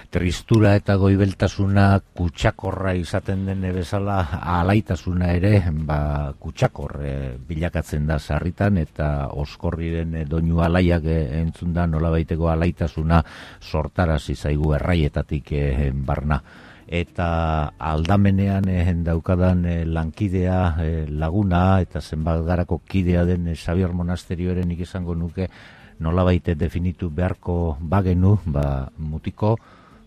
tristura eta goibeltasuna kutsakorra izaten den bezala, alaitasuna ere kutsakor bilakatzen da sarritan, eta oskorriren doinu alaiak entzun da nolabaiteko alaitasuna sortarazi zaigu erraietatik barna. Eta aldamenean daukadan lankidea, laguna eta zenbat garako kidea den Xabier Monasterioaren nik izango nuke nolabait definitu beharko bagenu, mutiko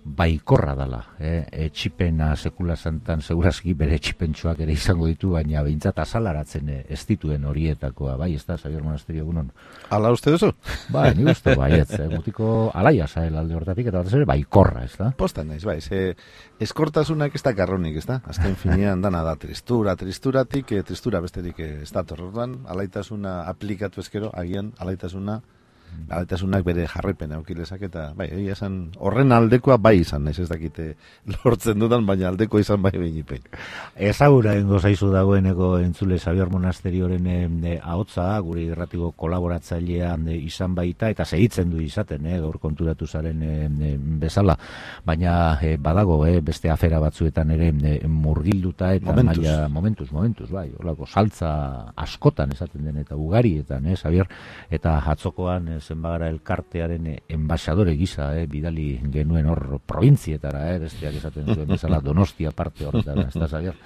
baikorra dala. Etxipena sekula santan segurazki bere etxipentsuak ere izango ditu, baina behintzat azalaratzen ez dituen horietakoa, bai, ez da, Xabier Monasterio egunon? Ala uste duzu? Bai, ni uste baietz, mutiko alaia zael alde hortatik, eta batez ere baikorra, ez da? Postan naiz, bai, eskortasunak ez da karronik, ez da? Azken finean dana da tristuratik, tristura besterik ez da torrotan, alaitasuna aplikatu ezkero, agian alaitasunak bere jarraipen eukilezak, eta bai, egia esan horren aldekoa bai izan, ez dakite lortzen dudan, baina aldeko izan bai behinipei. Ezagura dengo zaizu dagoeneko entzule Xabier Monasterioren ahotsa, gure irratiko kolaboratzailean izan baita, eta segitzen du izaten, gaur konturatu zaren bezala, baina badago, beste afera batzuetan ere murgilduta, eta momentuz, bai, olako saltza askotan esaten den, eta ugarietan, Xabier, eta atzokoan zenbagara elkartearen enbaixadore gisa, bidali genuen hor probintzietara, besteak esaten zuen bezala Donostia parte horretara, ez da, Xabier?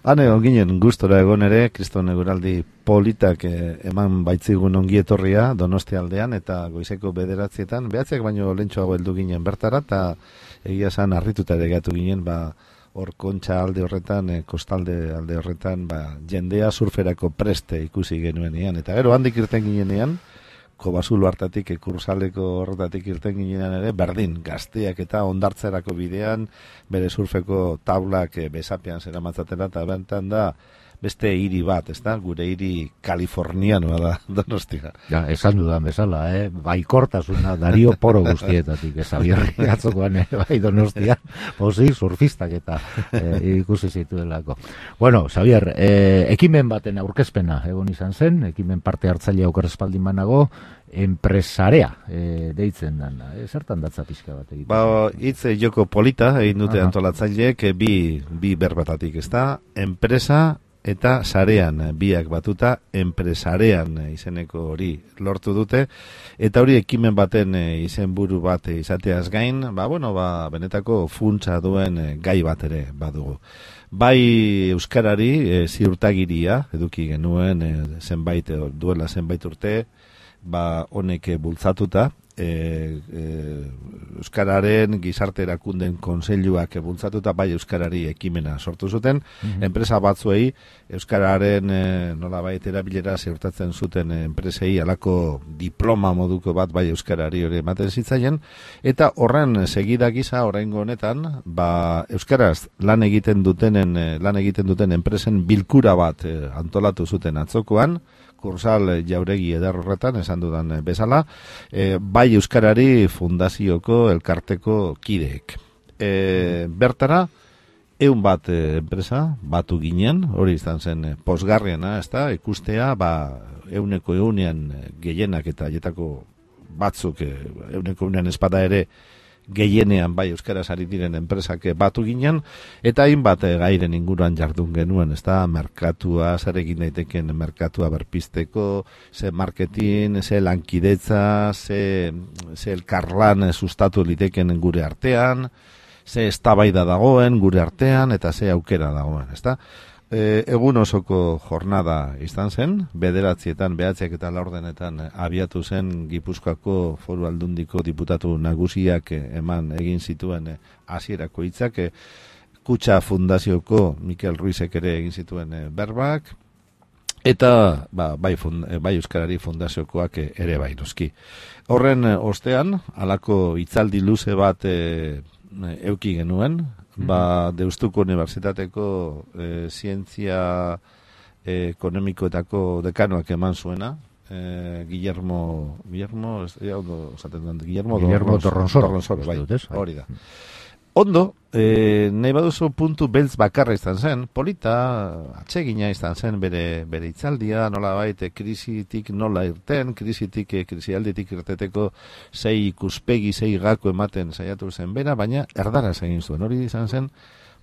Hane, ginen gustora egon ere, Kriston eguraldi politak eman baitzigun ongietorria Donostia aldean, eta goizeko 9:00, behatziak baino lentsuago heldu ginen bertara, eta egia esan harrituta ere gatu ginen, hor Kontxa alde horretan, kostalde alde horretan, jendea surferako preste ikusi genuenean, eta gero handik irten ginenean, Kobazulo hartatik, Kursaleko horretatik irten ginean ere, berdin, gazteak eta ondartzerako bidean, bere surfeko taulak besapean zeramatzatela, eta bentan da beste hiri bat, ez da? Gure hiri kalifornianoa da, Donostia. Ja, esan dudan bezala, baikortasuna Dario Poro guztietatik, Xabierri atzokoan, bai Donostia, pozik surfistak eta ikusi zituelako. Bueno, Xabier, ekimen baten aurkezpena egon izan zen, ekimen parte hartzailea oker espaldin banago, enpresarea deitzen dan, zertan datza pixka bat egiten? Hitz joko polita egin dute antolatzaileek bi berbatatik, ez da? Enpresa eta sarean biak batuta enpresarean izeneko hori lortu dute, eta hori ekimen baten izenburu bat izateaz gain, benetako funtsa duen gai bat ere badugu. Bai euskarari ziurtagiria eduki genuen duela zenbait urte, honek bultzatuta, euskararen gizarte erakunden kontseiluak bultzatuta bai euskarari ekimena sortu zuten, enpresa batzuei euskararen nolabait erabilera ziurtatzen zuten enpresei alako diploma moduko bat bai euskarari hori ematen zitzaien, eta horren segida gisa oraingo honetan euskaraz lan egiten duten enpresen bilkura bat antolatu zuten atzokoan, Kursal jauregi eder horretan, esan dudan bezala, bai euskarari fundazioko elkarteko kideek. Bertara, 100 bat enpresa batu ginen, hori izan zen posgarriena, ez da, ikustea, 100% gehienak eta jetako batzuk, 100% espada ere, gehienean bai euskaraz ari diren enpresak batu ginen, eta hainbat gairen inguruan jardun genuen, ez da, merkatua, zer egin daiteken merkatua berpizteko, ze marketing, ze lankidetza, ze elkarlan sustatu liteken gure artean, ze eztabaida dagoen gure artean, eta ze aukera dagoen, ez da. Egun osoko jornada izan zen, 9:00, 9:00 eta 9:00 abiatu zen Gipuzkoako Foru Aldundiko diputatu nagusiak egin zituen hasierako hitzak, Kutxa Fundazioko Mikel Ruizek ere egin zituen berbak, eta bai Euskarari Fundaziokoak ere bai noski. Horren ostean, halako hitzaldi luze bat euki genuen, Deustuko Unibertsitateko zientzia ekonomikoetako dekanoak eman zuena, Guillermo Torronsoro, bai, hori da. Ondo, nahi baduzu puntu beltz bakarra izan zen, polita, atsegina izan zen bere itzaldia, nola baita krisitik nola irten, krisialditik irteteko sei ikuspegi, sei gako ematen saiatu zen bera, baina erdaraz egin zuen, hori izan zen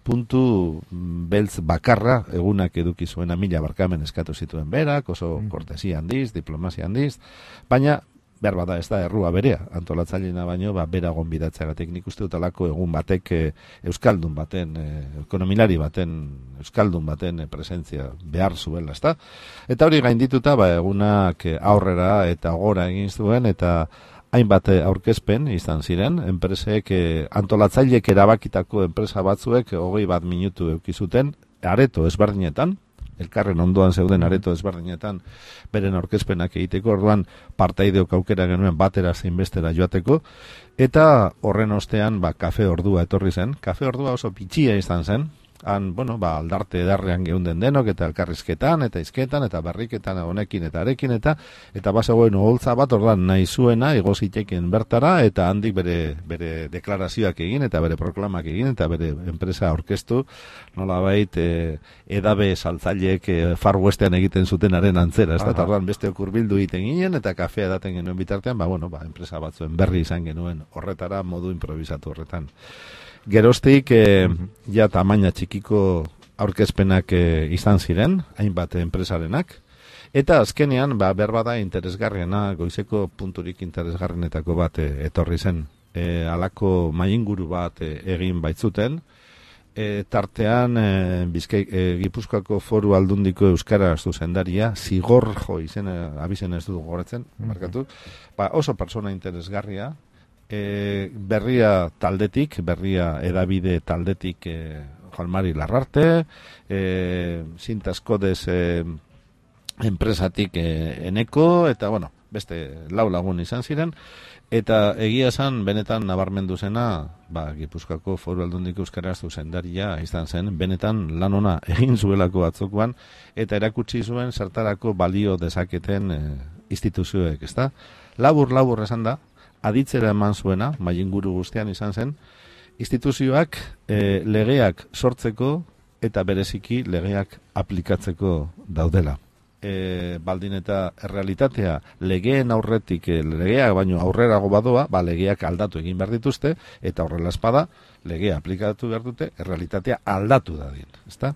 puntu beltz bakarra egunak eduki zuen 1000 barkamen eskatu zituen berak, oso kortesia handiz, diplomazia handiz, baina behar bada ez da errua berea, antolatzailena baino, bera gonbidatzeagatik nik uste dut alako egun batek euskaldun baten, ekonomilari baten, euskaldun baten presentzia behar zuela, ezta? Eta hori gaindituta, egunak aurrera eta gora egin zuen, eta hainbat aurkezpen izan ziren, enpresek, antolatzailek erabakitako enpresa batzuek 21 minutu eukizuten, areto ezberdinetan, elkarren ondoan zeuden areto ezberdinetan beren aurkezpenak egiteko, orduan partaideok aukera genuen batera zein bestera joateko, eta horren ostean kafe ordua etorri zen. Kafe ordua oso pitxia izan zen, han, aldarte edarrean geunden denok, eta elkarrizketan, eta izketan, eta berriketan honekin eta arekin, eta bazegoen oholtza bat, orduan nahi zuena, igoziteken bertara, eta handik bere deklarazioak egin, eta bere proklamak egin, eta bere enpresa aurkeztu, nolabait edabe saltzaileek Far Westean egiten zutenaren antzera, ez da, orduan beste okurbildu egiten ginen, eta kafea daten genuen bitartean, enpresa batzuen berri izan genuen horretara, modu improvisatu horretan. Geroztik, ja tamaina txikiko aurkezpenak izan ziren, hainbat enpresarenak, eta azkenean, behar bada interesgarriena, goizeko punturik interesgarrienetako bat etorri zen. Halako mainguru bat egin baitzuten, tartean Gipuzkoako Foru Aldundiko Euskara zuzendaria, Zigorjo abizen ez dut gogoratzen, markatu, oso persona interesgarria, berria edabide taldetik Juan Mari Larrarte, Sintaskodez enpresatik Eneko, eta beste 4 lagun izan ziren, eta egia esan benetan nabarmendu zena, Gipuzkoako Foru Aldundiko Euskara zuzendaria izan zen, benetan lan ona egin zuelako batzokoan, eta erakutsi zuen zertarako balio dezaketen instituzioek, ezta? Labur esan da, aditzera eman zuena, mainguru guztian izan zen, instituzioak legeak sortzeko eta bereziki legeak aplikatzeko daudela. Baldin eta errealitatea legeen aurretik, legeak baino aurrerago badoa, legeak aldatu egin behar dituzte, eta horrela espada, legea aplikatu behar dute, errealitatea aldatu dadin, ezta?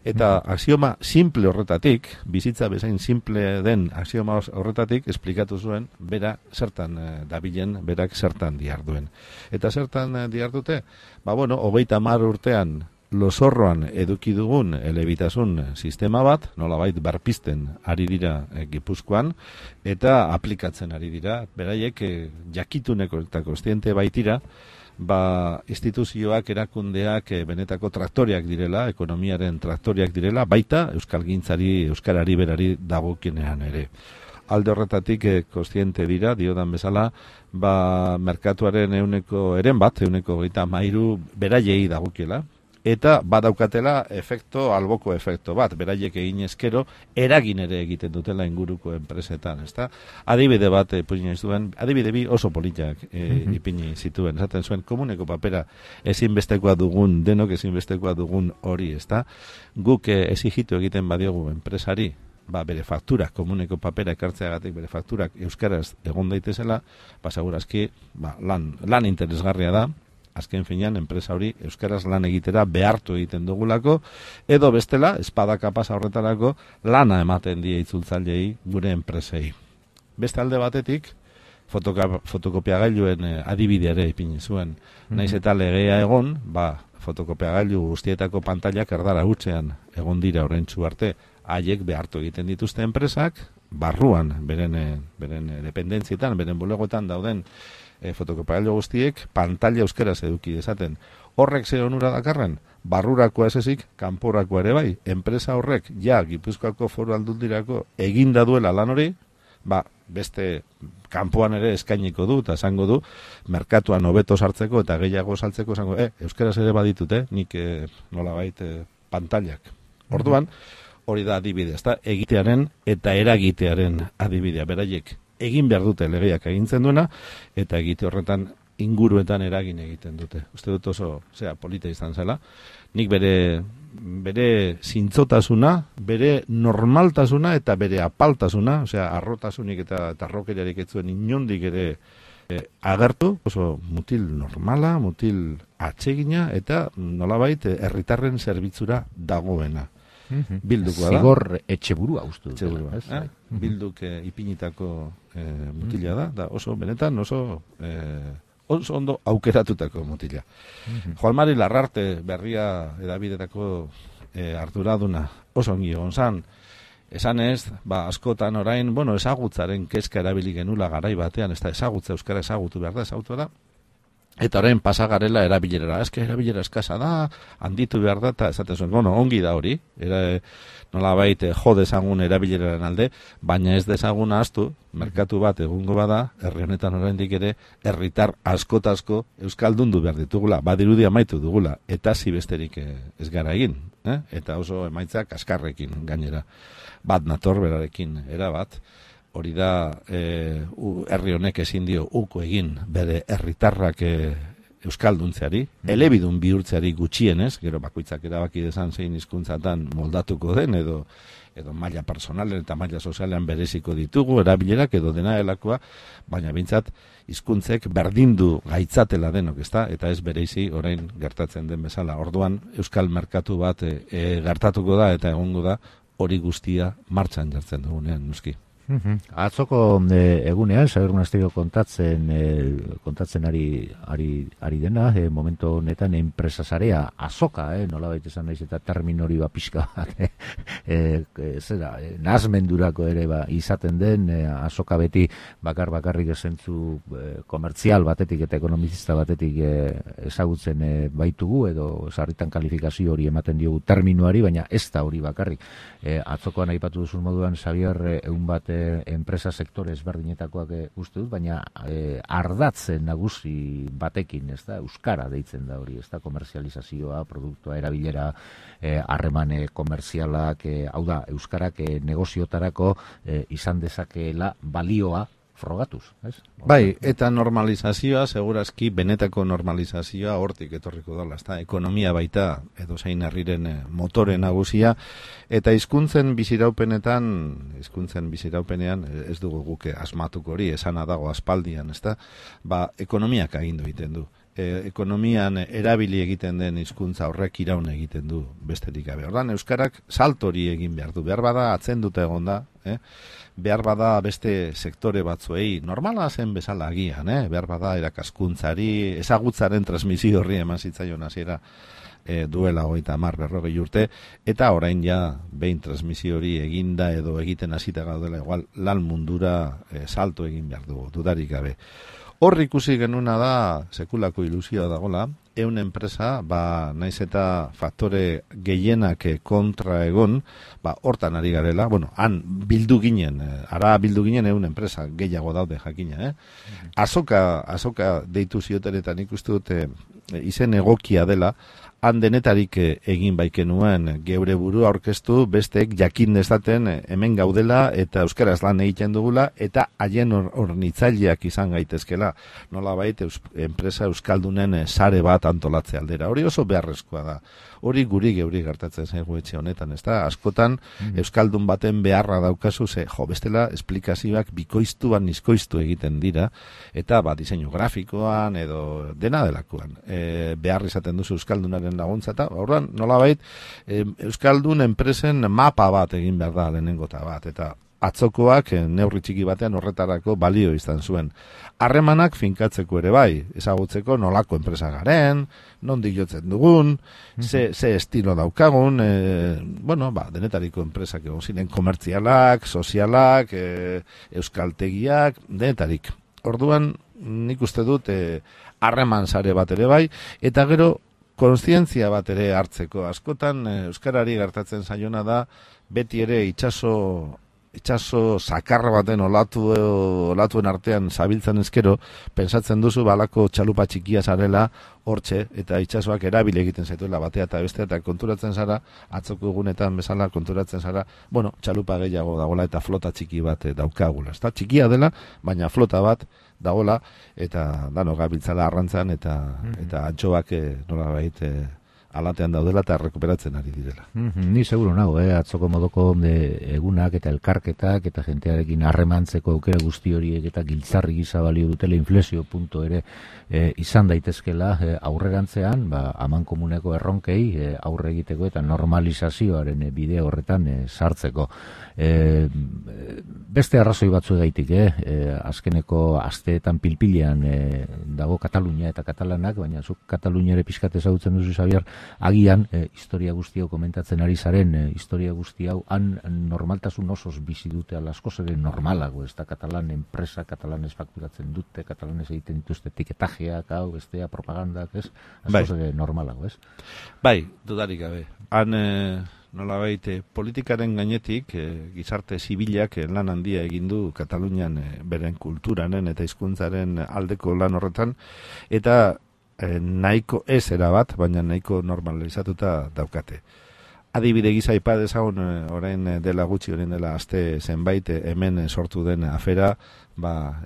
Eta axioma simple horretatik, bizitza bezain simple den axioma horretatik, esplikatu zuen, bera zertan dabilen, berak zertan diarduen. Eta zertan diardute? 30 urtean Losorroan eduki dugun elebitasun sistema bat, nolabait berpizten ari dira Gipuzkoan, eta aplikatzen ari dira, beraiek jakituneko eta kontziente baitira, instituzioak, erakundeak benetako traktoriak direla, ekonomiaren traktoriak direla, baita euskalgintzari, euskarari berari dagokienean ere. Alde horretatik kontziente dira, diodan bezala, merkatuaren ehuneko 33 beraiei dagokiela, eta badaukatela alboko efekto bat, beraiek egin ezkero, eragin ere egiten dutela inguruko enpresetan, ezta? Adibide bat adibide bi oso politak ipini zituen, esaten zuen, komuneko papera ezinbestekoa dugun, denok ezinbestekoa dugun hori, ezta? Guk exigitu egiten badiogu enpresari, bere fakturak, komuneko papera ekartzeagatik bere fakturak euskaraz egon daitezela, segurazki lan interesgarria da, azken finean, enpresa hori euskaraz lan egitera behartu egiten dugulako, edo bestela, espada kapasa horretarako, lana ematen die itzultzailei gure enpresei. Beste alde batetik, fotokopiagailuen adibideare ipini zuen. Naiz eta legea egon, fotokopiagailu guztietako pantailak erdara hutsean egon dira orentsu arte, haiek behartu egiten dituzte enpresak, barruan, beren dependentzietan, beren bulegoetan dauden fotokopiagailu guztiek pantalla euskaraz eduki dezaten. Horrek zer onura dakarren? Barrurakoa ez ezik, kanporakoa ere bai. Enpresa horrek, Gipuzkoako Foru Aldundirako eginda duela lan hori, beste kanpoan ere eskainiko du, eta esango du, merkatuan hobeto sartzeko eta gehiago saltzeko, esango, euskaraz ere baditute, nik nolabait pantallak. Orduan, hori da adibide, egitearen eta eragitearen adibidea, beraiek egin behar dute legeak agintzen duena, eta egite horretan inguruetan eragin egiten dute. Uste dut oso, polita izan zela. Nik bere zintzotasuna, bere normaltasuna eta bere apaltasuna, arrotasunik eta arrokeriarik ez zuen inondik ere agertu, oso mutil normala, mutil atsegina eta nolabait herritarren zerbitzura dagoena. Bildukoa da. Zigor etxeburua uste dut. Bilduk ipinitako mutila da, oso benetan oso ondo aukeratutako mutila. Joan Mari Larrarte berria edabidetako arduraduna oso ongi egon zan, esan ez, askotan orain, ezagutzaren kezka erabili genula garai batean, ez da ezagutza, euskara ezagutu behar da, ezagutu da, eta orain pasagarela erabilerara, erabilera eskasa da, handitu behar da, eta esaten zuen, ongi da hori, nolabait jo dezagun erabileraren alde, baina ez dezagun ahaztu, merkatu bat egungo bada, herri honetan oraindik ere, herritar askotazko euskaldundu behar ditugula, badirudi amaitu dugula, eta zibesterik ez gara egin, eta oso emaitzak kaskarrekin gainera, bat nator berarekin, erabat, hori da herri honek ezin dio uko egin bere herritarrak euskalduntzeari, elebidun bihurtzeari gutxienez, gero bakoitzak erabaki dezan zein hizkuntzatan moldatuko den, edo maila personalen eta maila sozialean bereziko ditugu, erabilerak edo dena delakoa, baina bintzat hizkuntzek berdindu gaitzatela denok, ezta? Eta ez bereizi orain gertatzen den bezala. Orduan euskal merkatu bat gertatuko da eta egongo da hori guztia martxan jartzen dugunean, noski. Atzoko egunean, Xabier Monasterio kontatzen ari dena, momentu honetan enpresasarea azoka, nolabait esan naiz eta termin hori pixka nahasmendurako ere izaten den, azoka beti bakarrik esentzu komertzial batetik eta ekonomizista batetik ezagutzen baitugu, edo sarritan kalifikazio hori ematen diogu terminuari, baina ez da hori bakarrik. Atzokoan aipatu duzun moduan, Xabier, egun bat enpresa sektore ezberdinetakoak uste dut, baina ardatze nagusi batekin, ez da, euskara deitzen da hori, ez da, komerzializazioa, produktua, erabilera, harremane komerzialak, hau da, euskarak negoziotarako izan dezakeela balioa frogatuz, ez? Bai, eta normalizazioa, segurazki, benetako normalizazioa hortik etorriko dela, ez da, ekonomia baita, edo zein herriren motore nagusia, eta hizkuntzen biziraupenean, ez dugu guke asmatuko hori, esana dago aspaldian, ez da, ekonomiak agindu egiten du. Ekonomian erabili egiten den hizkuntza horrek iraun egiten du besterik gabe. Ordan euskarak saltori egin behar du. Behar bada atzenduta egon da, behar bada beste sektore batzuei normala zen bezala agian, behar bada erakaskuntzari, ezagutzaren transmisio horri eman zitzaion hasiera duela 30-40 urte, eta orain ja behin transmisio hori eginda edo egiten hasita gaudela igual lan mundura salto egin behar dugu, dudarik gabe. Hor ikusi genuna da, sekulako ilusioa dagola, enpresa, naiz eta faktore gehienak kontra egon, hortan ari garela, han bildu ginen, enpresa gehiago daude jakina, Azoka deitu ziotenetan ikustu dute izen egokia dela, han denetarik egin baikenuen geure burua aurkeztu, besteek jakin dezaten hemen gaudela eta euskaraz lan egiten dugula eta haien hornitzaileak izan gaitezkela. Nolabait enpresa euskaldunen sare bat antolatze aldera. Hori oso beharrezkoa da. Hori geuri gertatzen zaigu etxe honetan, ezta? Askotan euskaldun baten beharra daukazu bestela esplikazioak bikoiztuan nizkoiztu egiten dira eta diseinu grafikoan edo dena delakoan. Behar izaten duzu euskaldunaren laguntza eta horren nolabait euskaldun enpresen mapa bat egin behar da lehenengota bat eta atzokoak neurri txiki batean horretarako balio izan zuen. Harremanak finkatzeko ere bai, ezagutzeko nolako enpresa garen, nondik jotzen dugun, ze estilo daukagun, denetariko enpresak egon ziren komertzialak, sozialak, euskaltegiak, denetarik. Orduan, nik uste dut harreman sare bat ere bai, eta gero kontzientzia bat ere hartzeko. Askotan, euskarari gertatzen zaiona da, beti ere itsaso itxaso sakarra baten olatuen artean zabiltzen ezkero, pensatzen duzu balako txalupa txikia zarela hortxe, eta itxasoak erabile egiten zaituela batea eta bestea, eta konturatzen zara, atzoko egunetan bezala konturatzen zara, bueno, txalupa gehiago dagoela eta flota txiki bat daukagula. Ezta txikia dela, baina flota bat dagoela, eta dano gabiltzala arrantzan, eta antxoak nolabait alatean daudela eta rekuperatzen ari direla. Ni seguro nago, atzoko modoko egunak eta elkarketak eta jentearekin harremantzeko aukera guzti horiek eta giltzarri gisa balio dutela inflexio punto ere izan daitezkela aurrerantzean, amankomuneko erronkei aurre egiteko eta normalizazioaren bide horretan sartzeko. Beste arrazoi batzuegaitik, azkeneko asteetan pilpilean dago Katalunia eta Katalanak, baina zuk Kataluniare pixkat ezagutzen duzu, Xabier, agian historia guzti hau komentatzen ari zaren, historia guzti hau han normaltasun osoz bizi dute askoz ere normalago, ez da Katalan enpresa, Katalanez fakturatzen dute, Katalanez egiten dituzte etikettajeak, hau, bestea, propagandak, ez? Askoz ere normalago, ez? Bai, dudarik gabe. Han nolabait politikaren gainetik gizarte zibilak lan handia egin du Katalunian beren kulturanen eta hizkuntzaren aldeko lan horretan, eta nahiko ez erabat, baina nahiko normalizatuta daukate. Adibide gisa aipa dezagun orain dela gutxi, orain dela aste zenbait hemen sortu den afera,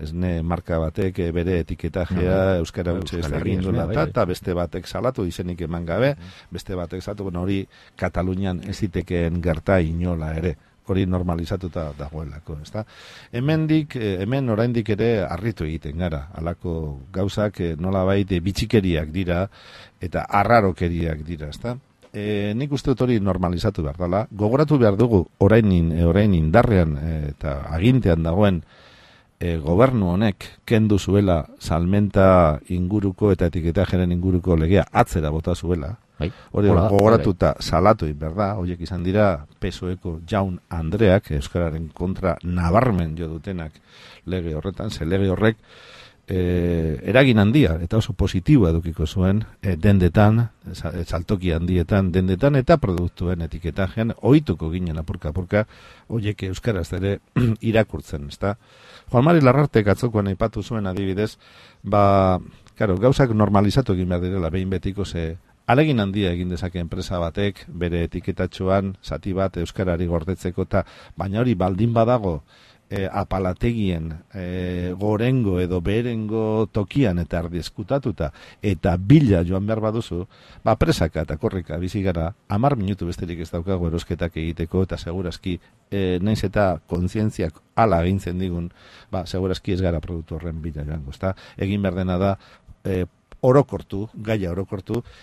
esne marka batek bere etiketajea euskara gutxe ez egin duela eta beste batek salatu, izenik eman gabe, beste batek salatu, hori Katalunian ez zitekeen gerta inola ere. Hori normalizatuta dagoelako, ezta? Hemen oraindik ere harritu egiten gara, halako gauzak nolabait bitxikeriak dira eta arrarokeriak dira, ezta? Nik uste dut hori normalizatu behar dela. Gogoratu behar dugu orain indarrean eta agintean dagoen gobernu honek kendu zuela salmenta inguruko eta etiketajeren inguruko legea atzera bota zuela. Hori gogoratuta salatu berda, horiek izan dira PSOEko Jaun Andreak euskararen kontra nabarmen jo dutenak lege horretan, ze lege horrek eragin handia eta oso positiboa edukiko zuen dendetan, saltoki handietan dendetan eta produktuen etiketajean ohituko ginen apurka horiek euskaraz ere irakurtzen, ezta? Juan Mari Larrartek atzokoan aipatu zuen adibidez, gauzak normalizatu egin behar direla behin betiko, ze alegin handia egin dezake enpresa batek bere etiketatxoan zati bat euskarari gordetzeko, eta baina hori baldin badago apalategien gorengo edo beherengo tokian eta erdieskutatuta eta bila joan behar baduzu, presaka eta korrika bizi gara, 10 minutu besterik ez daukago erosketak egiteko, eta segurazki naiz eta kontzientziak hala egintzen digun, segurazki ez gara produktu horren bila joango, ezta? Egin behar dena da gaia orokortu,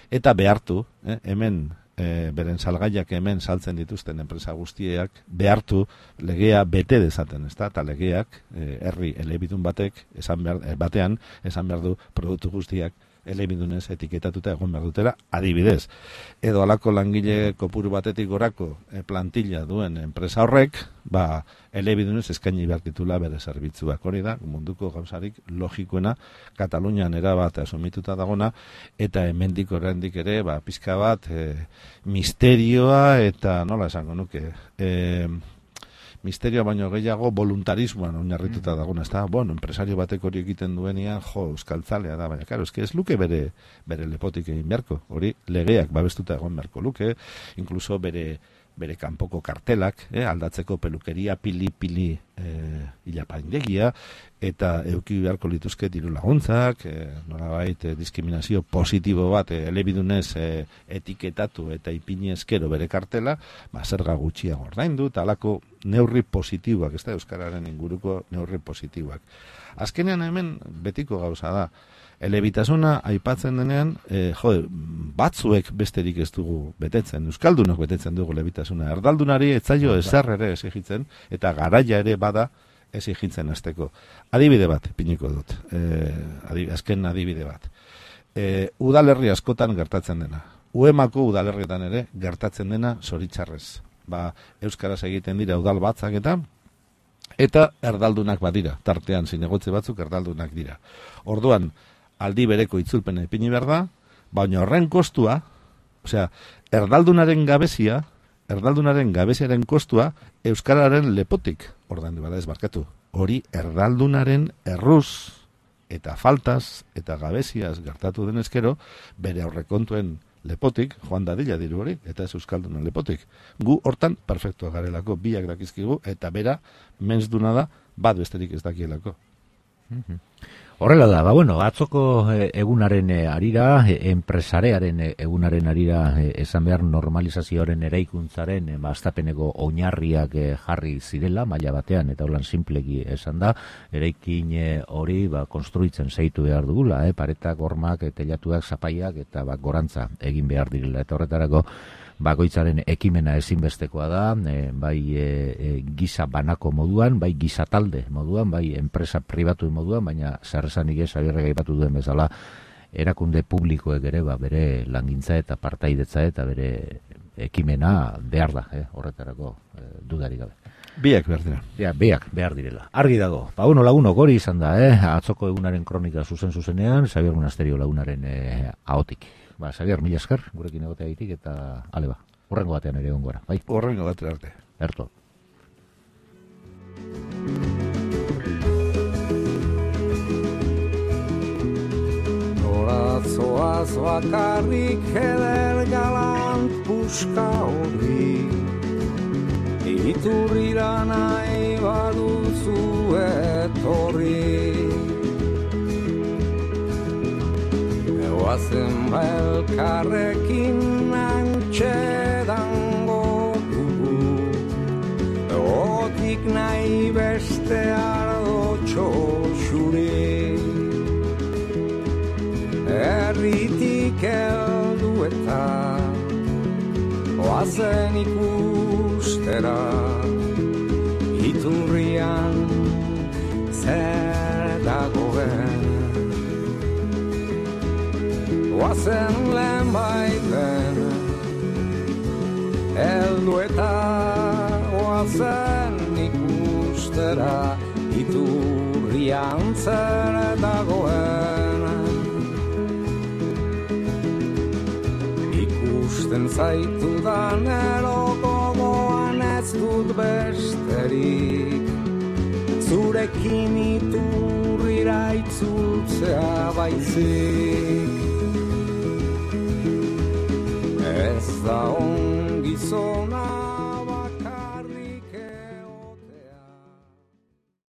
eta behartu, hemen beren salgaiak hemen saltzen dituzten enpresa guztiak behartu legea bete dezaten, ezta? Eta legeak herri elebidun batean esan behar du produktu guztiak elebidunez etiketatuta egon behar dutela, adibidez. Edo halako langile kopuru batetik gorako plantilla duen enpresa horrek, elebidunez eskaini behar ditula bere zerbitzuak. Hori da, munduko gauzarik logikoena, Katalunian erabat asumituta dagona, eta hemendik oraindik ere, pizka bat misterioa eta nola esango nuke, misterioa baino gehiago voluntarismoan oinarrituta dagona, ezta? Enpresario batek hori egiten duenean, euskaltzalea da, baina, karo, ez luke bere lepotik egin beharko, hori legeak babestuta egon beharko luke, inkluso bere kanpoko kartelak, aldatzeko pelukeria, pili ilapaindegia, eta eduki beharko lituzke diru laguntzak, nolabait diskriminazio positibo bat elebidunez etiketatu eta ipini eskero bere kartela, zerga gutxiago ordaindu, eta halako neurri positiboak, ez da euskararen inguruko neurri positiboak. Azkenean hemen betiko gauza da, elebitasuna aipatzen denean, batzuek besterik ez dugu betetzen, euskaldunok betetzen dugu elebitasuna. Erdaldunari etzaio ezer ere exigitzen, eta garaia ere bada exigitzen hasteko. Adibide bat, piniko dut, azken adibide bat. Udalerri askotan gertatzen dena. Uemako udalerrietan ere gertatzen dena zoritxarrez. Euskaraz egiten dira udal batzak eta erdaldunak badira. Tartean zinegotze batzuk erdaldunak dira. Orduan, aldi bereko itzulpena ipini behar da, baina horren kostua, erdaldunaren gabeziaren kostua euskararen lepotik ordaindu bada ez barkatu. Hori erdaldunaren erruz eta faltaz eta gabeziaz gertatu denezkero, bere aurrekontuen lepotik, joan dadila diru hori, eta ez euskaldunen lepotik. Gu hortan perfektua garelako, biak dakizkigu, eta bera menzduna da, bat besterik ez dakielako. Horrela da, atzoko egunaren arira, enpresarearen egunaren arira, esan behar normalizazioaren eraikuntzaren hastapeneko oinarriak jarri zirela, maila batean, eta holan simpleki esan da, eraikin hori konstruitzen zeitu behar dugula, paretak, hormak, telatuak, zapaiak, eta gorantza egin behar direla, eta horretarako bakoitzaren ekimena ezinbestekoa da, bai giza banako moduan, bai giza talde moduan, bai enpresa pribatu moduan, baina zerrezanik ez abierrega aipatu duen bezala, erakunde publikoek ere bere langintza eta partaidetza eta bere ekimena behar da, horretarako dudarik gabe. Biak behar dira. Ja, biak behar direla. Argi dago. Lagunok hori izan da, atzoko egunaren kronika zuzenean, Xabier Monasterio lagunaren ahotik. Xabier, mila esker, gurekin egotea egitik, eta ale horrengo batean ere ongora, bai? Horrengo batean arte. Erto. Noratzoaz bakarrik eder galant puska hori, iturrira nahi baduzu etorri. Oazen elkarrekin antxedango dugu, otik nahi beste ardotxo xuri. Erritik heldu eta oazen ikustera, iturrian zer dagoen. Oazen lehen baiten, heldu eta oazen ikustera, iturrian zer dagoen. Ikusten zaitudan erokogoan ez dut besterik, zurekin iturrira itzultzea baizik. Ez da ongi zona